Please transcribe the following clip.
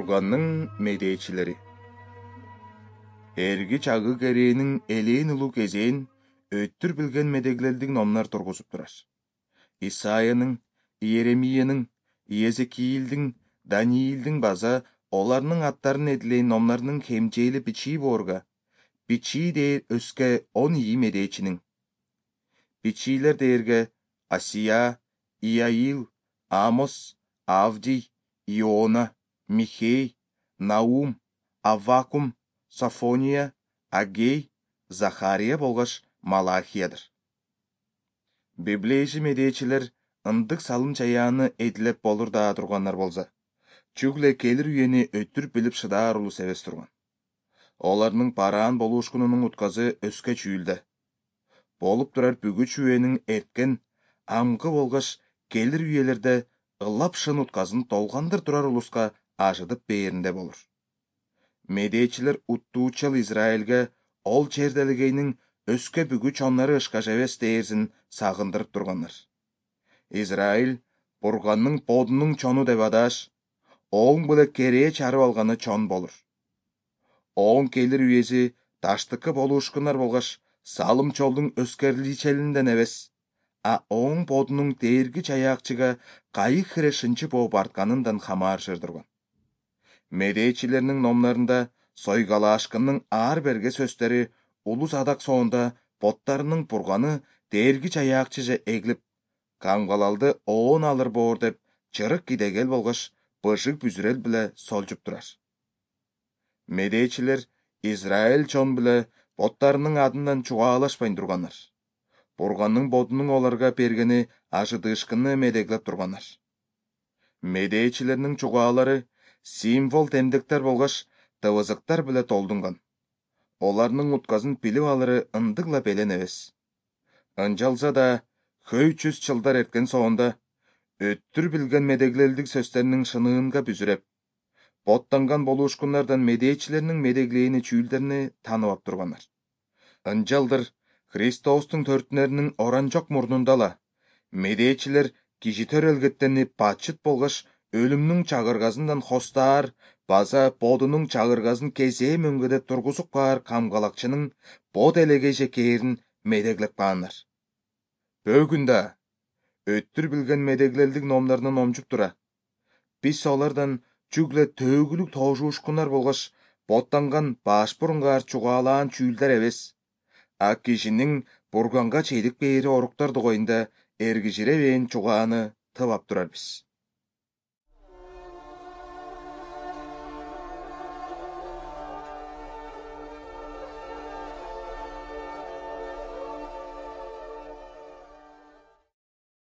Бурганның медеечилери. Эрги чагы керээнин элээн улуу кезээн өттүр билген медеглелдик номнар тургузуп турар. Исаиянын, Иеремиянын, Иезекиилдин, Даниилдин база оларнын аттарын эдилээн номнарынын хемжээли бичии боорга, бичии дээр өскө 10 ии медеечинин. Бичиилер дээрге Асия, Иаил, Амос, Авдий, Иона, Михей, Наум, Аввакум, Софония, Агей, Захария болгош Малахиядыр. Библейши медеечилер ындык салым чаяаны эдилеп болур даа тургандар болса, чүгле келир үйени өттүр билип шыдаар улус эбес турган. Оларнын параан болуушкунунун утказы өскө чүйүлдө. Болуп турар бүгүч үйенин эрткен, амгы болгош келир үйелерде ылап шын утказын толгандыр турар улуска ажыдып бээринде болур. Медеечилер уттуучал Израилге ол черделигейнин өскө бүгүч оннары ышкаш эбес дээрсин сагындырып тургандар. Израиль Бурганның бодунун чону деп адааш, оң биле керээ чарып алганы чон болур. Оң келир үйеси таштыкы болуушкунар болгош салым чолдун өскерличелинден эбес, а оң бодунун дээрги чаяакчыга кайык хире шынчы болуп артканындан хамаарышыр турган. Медеечилердин номнарында сойгалаашкындын ар берге сөздөрү улус адак соонда боттарынын Бурганы дээрги чаяакчыжа эгилип, камгалалды оон алыр боор деп чырык кидегел болгош быжык бүзүрел биле солжуп турар. Медеечилер Израиль чон биле боттарынын адынан чугаалашпай тургандар. Бурганның бодунун оларга бергени ажыдыышкынны медеглеп тургандар. Медеечилердин чугаалары символ темдектер болгош тыбызыктар биле толдунган. Оларнын утказын билип алыры ындыгла белен эбес. Ынчалса да 300 жылдар эрткен соонда өттүр билген медеглелдик сөздөрүнүн шыныынга бүзүреп, боттанган болуушкундардан медеечилердин медеглээни чүүлдерини тааныбап тургандар. Ынчалдыр Христостун төртүнөрүнүн оранжок мурнундала медеечилер киши төрөлгөттенип бачыт болгош өлүмнүн чагыргасынан хостаар база бодунун чагыргасын кезээ мөңгөдө тургузуп каар камгалакчынын бод элегейже кээрин медеглеп каандар. Бөгүн да өттүр билген медеглелдик номдорунан омжуп тура, биз олардан чүгле төөгүлүк тоожуушкунар болгош боттанган баш бурунгаар чугаалаан чүүлдер эбес, а кишинин Бурганга чейдик бээри оруктар дугайында эргижиребээн чугааны тыбап турарбыз.